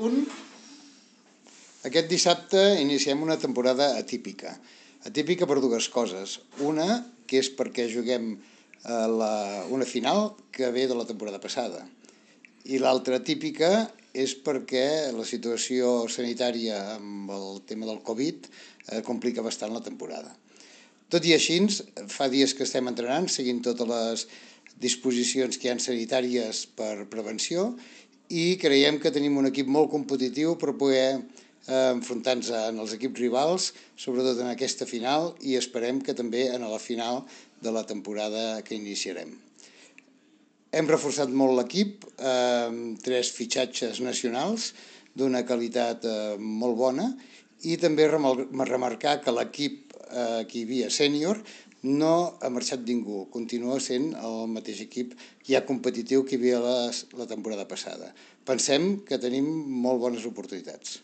Un, aquest dissabte iniciem una temporada atípica. Atípica per dues coses. Una, que és perquè juguem una final que ve de la temporada passada. I l'altra atípica és perquè la situació sanitària amb el tema del Covid complica bastant la temporada. Tot i així, fa dies que estem entrenant, seguint totes les disposicions que hi ha sanitàries per prevenció, i creiem que tenim un equip molt competitiu per poder enfrontar-nos en els equips rivals, sobretot en aquesta final, i esperem que també en la final de la temporada que iniciarem. Hem reforçat molt l'equip, amb 3 fitxatges nacionals d'una qualitat molt bona, i també remarcar que l'equip que hi havia sènior no ha marxat ningú, continua sent el mateix equip ja competitiu que hi havia la temporada passada. Pensem que tenim molt bones oportunitats.